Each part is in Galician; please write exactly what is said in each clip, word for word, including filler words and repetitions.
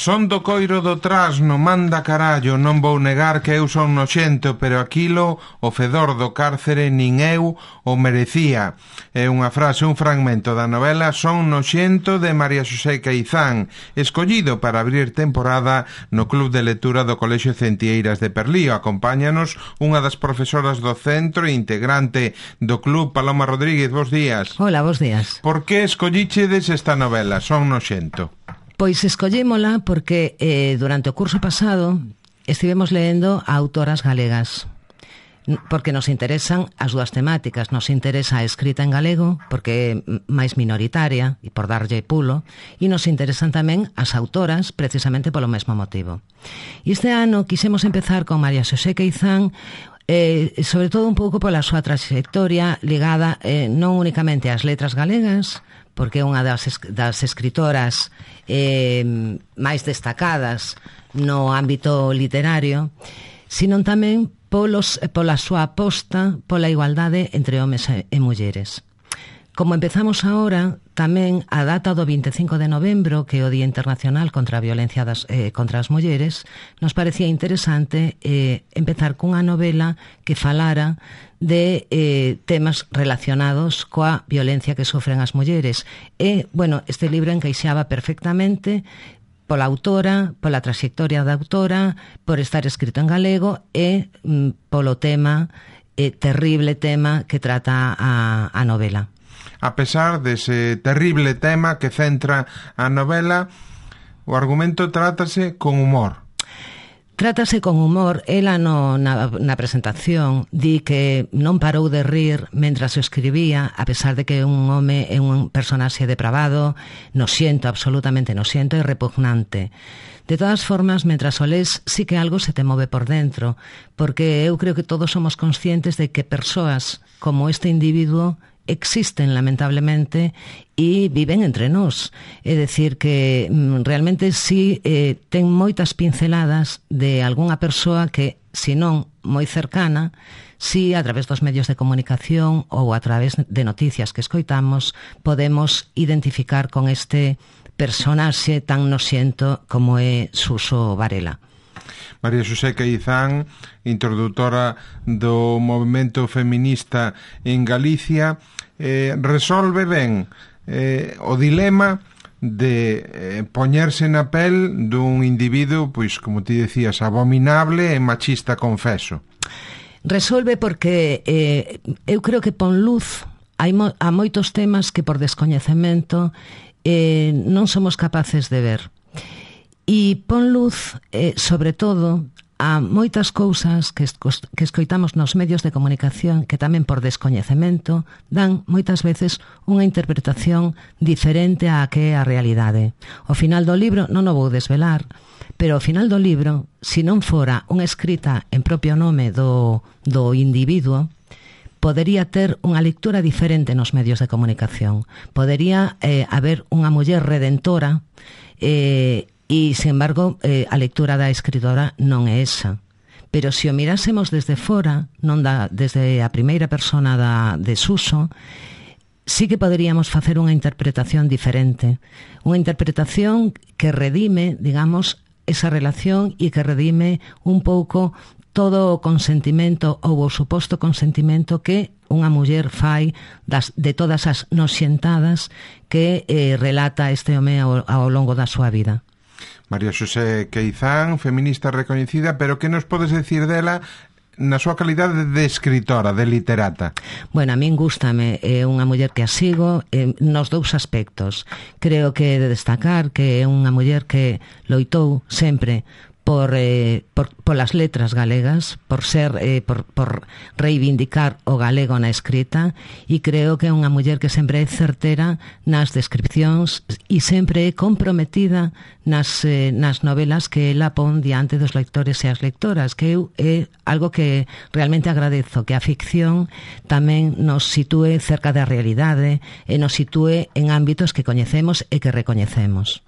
Son do coiro do trasno, manda carallo, non vou negar que eu son noxento, pero aquilo, o fedor do cárcere, nin eu o merecía. É unha frase, un fragmento da novela Son noxento de María Xosé Queizán, escollido para abrir temporada no Club de Lectura do Colexio Centieiras de Perlío. Acompáñanos unha das profesoras do centro e integrante do club, Paloma Rodríguez. Bos días. Hola, bos días. Por que escollichedes esta novela, Son noxento? Pois escollémola porque eh, durante o curso pasado estivemos leendo a autoras galegas, porque nos interesan as dúas temáticas. Nos interesa a escrita en galego, porque é máis minoritaria, e por darlle pulo, e nos interesan tamén as autoras, precisamente polo mesmo motivo. E este ano quixemos empezar con María Xosé Queizán, eh, sobre todo un pouco pola súa trayectoria ligada eh, non únicamente ás letras galegas, porque é unha das, das escritoras eh, máis destacadas no ámbito literario, sino tamén polos, pola súa aposta pola igualdade entre homes e, e mulleres. Como empezamos agora, tamén a data do vinte e cinco de novembro, que é o Día Internacional contra a Violencia das, eh, contra as Mulleres, nos parecía interesante eh, empezar cunha novela que falara de eh, temas relacionados coa violencia que sofren as mulleres. E, bueno, este libro encaixaba perfectamente pola autora, pola trayectoria da autora, por estar escrito en galego e mm, polo tema, eh, terrible tema que trata a, a novela. A pesar dese terrible tema que centra a novela, o argumento trátase con humor. Trátase con humor. Ela no, na, na presentación di que non parou de rir mentras o escribía, a pesar de que un home é un personaxe depravado, nosiento, absolutamente nosiento e repugnante. De todas formas, mentras o lés, sí que algo se te move por dentro, porque eu creo que todos somos conscientes de que persoas como este individuo existen lamentablemente e viven entre nós. É dicir que mm, realmente sí eh, ten moitas pinceladas de algunha persoa que, se non moi cercana, si a través dos medios de comunicación ou a través de noticias que escoitamos podemos identificar con este personaxe tan nosiento como é Suso Varela. María Xosé Queizán, introdutora do movemento feminista en Galicia, eh, resolve ben eh, o dilema de eh, poñerse na pel dun individuo, pois, como ti decías, abominable e machista, confeso. Resolve porque eh, eu creo que pon luz hai mo- a moitos temas que por descoñecemento eh, non somos capaces de ver. E pon luz, eh, sobre todo, a moitas cousas que, esco- que escoitamos nos medios de comunicación que tamén por descoñecemento dan moitas veces unha interpretación diferente á que é a realidade. O final do libro non o vou desvelar, pero o final do libro, se non fora unha escrita en propio nome do, do individuo, podería ter unha lectura diferente nos medios de comunicación. Podería eh, haber unha muller redentora eh, e, sin embargo, eh, a lectura da escritora non é esa. Pero se o mirásemos desde fora, non da, desde a primeira persona da, de Suso, sí que poderíamos facer unha interpretación diferente. Unha interpretación que redime, digamos, esa relación e que redime un pouco todo o consentimento ou o suposto consentimento que unha muller fai das, de todas as nosientadas que eh, relata este home ao, ao longo da súa vida. María Xosé Queizán, feminista recoñecida, pero que nos podes decir dela na súa calidade de escritora, de literata? Bueno, a min gústame, é unha muller que a sigo eh, nos dous aspectos. Creo que é de destacar que é unha muller que loitou sempre por, eh, por, por las letras galegas, por ser eh, por, por reivindicar o galego na escrita, e creo que é unha muller que sempre é certera nas descripcións e sempre é comprometida nas, eh, nas novelas que ela pon diante dos lectores e as lectoras, que eu é algo que realmente agradezo, que a ficción tamén nos sitúe cerca da realidade e nos sitúe en ámbitos que coñecemos e que recoñecemos.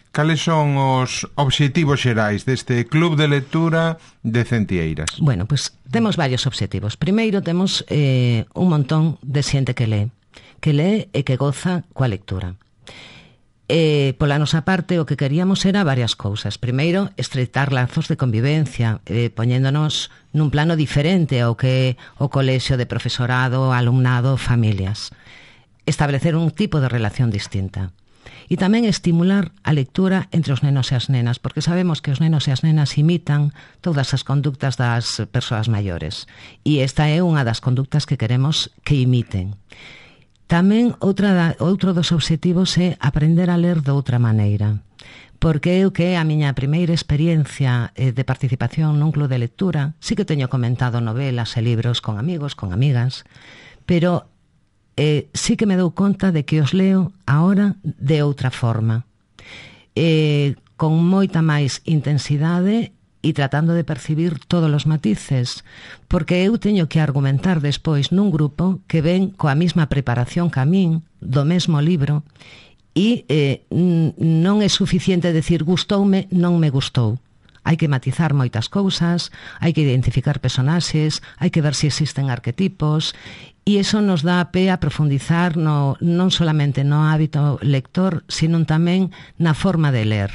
Cales son os obxectivos xerais deste Club de Lectura de Centieiras? Bueno, pois pues, temos varios obxectivos. Primeiro, temos eh, un montón de xente que lee, que lee e que goza coa lectura. Eh, pola nosa parte, o que queríamos era varias cousas. Primeiro, estreitar lazos de convivencia, eh, poñéndonos nun plano diferente ao que o colexio de profesorado, alumnado, familias. Establecer un tipo de relación distinta. E tamén estimular a lectura entre os nenos e as nenas, porque sabemos que os nenos e as nenas imitan todas as conductas das persoas maiores. E esta é unha das conductas que queremos que imiten. Tamén outra da, outro dos obxectivos é aprender a ler de outra maneira, porque eu que é a miña primeira experiencia eh, de participación nun club de lectura, sí que teño comentado novelas e libros con amigos, con amigas, pero eh, sí que me dou conta de que os leo ahora de outra forma, eh, con moita máis intensidade e tratando de percibir todos os matices, porque eu teño que argumentar despois nun grupo que ven coa mesma preparación que a min, do mesmo libro, e eh, non é suficiente decir gustoume, non me gustou. Hai que matizar moitas cousas, hai que identificar personaxes, hai que ver se existen arquetipos, e iso nos dá pé a profundizar no, non solamente no hábito lector, sino tamén na forma de ler.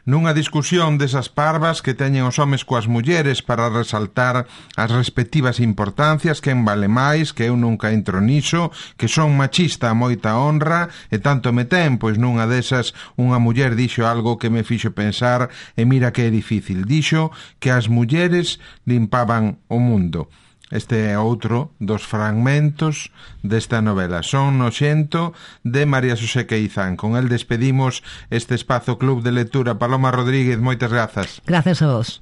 Nunha discusión desas parvas que teñen os homes coas mulleres para resaltar as respectivas importancias, quen vale máis, que eu nunca entro niso, que son machista a moita honra, e tanto me ten, pois nunha desas unha muller dixo algo que me fixo pensar, e mira que é difícil, dixo que as mulleres limpaban o mundo. Este é outro dos fragmentos desta novela. Son noxento, de María Xosé Queizán. Con el despedimos este espazo Club de Lectura. Paloma Rodríguez, moitas grazas. Grazas a vos.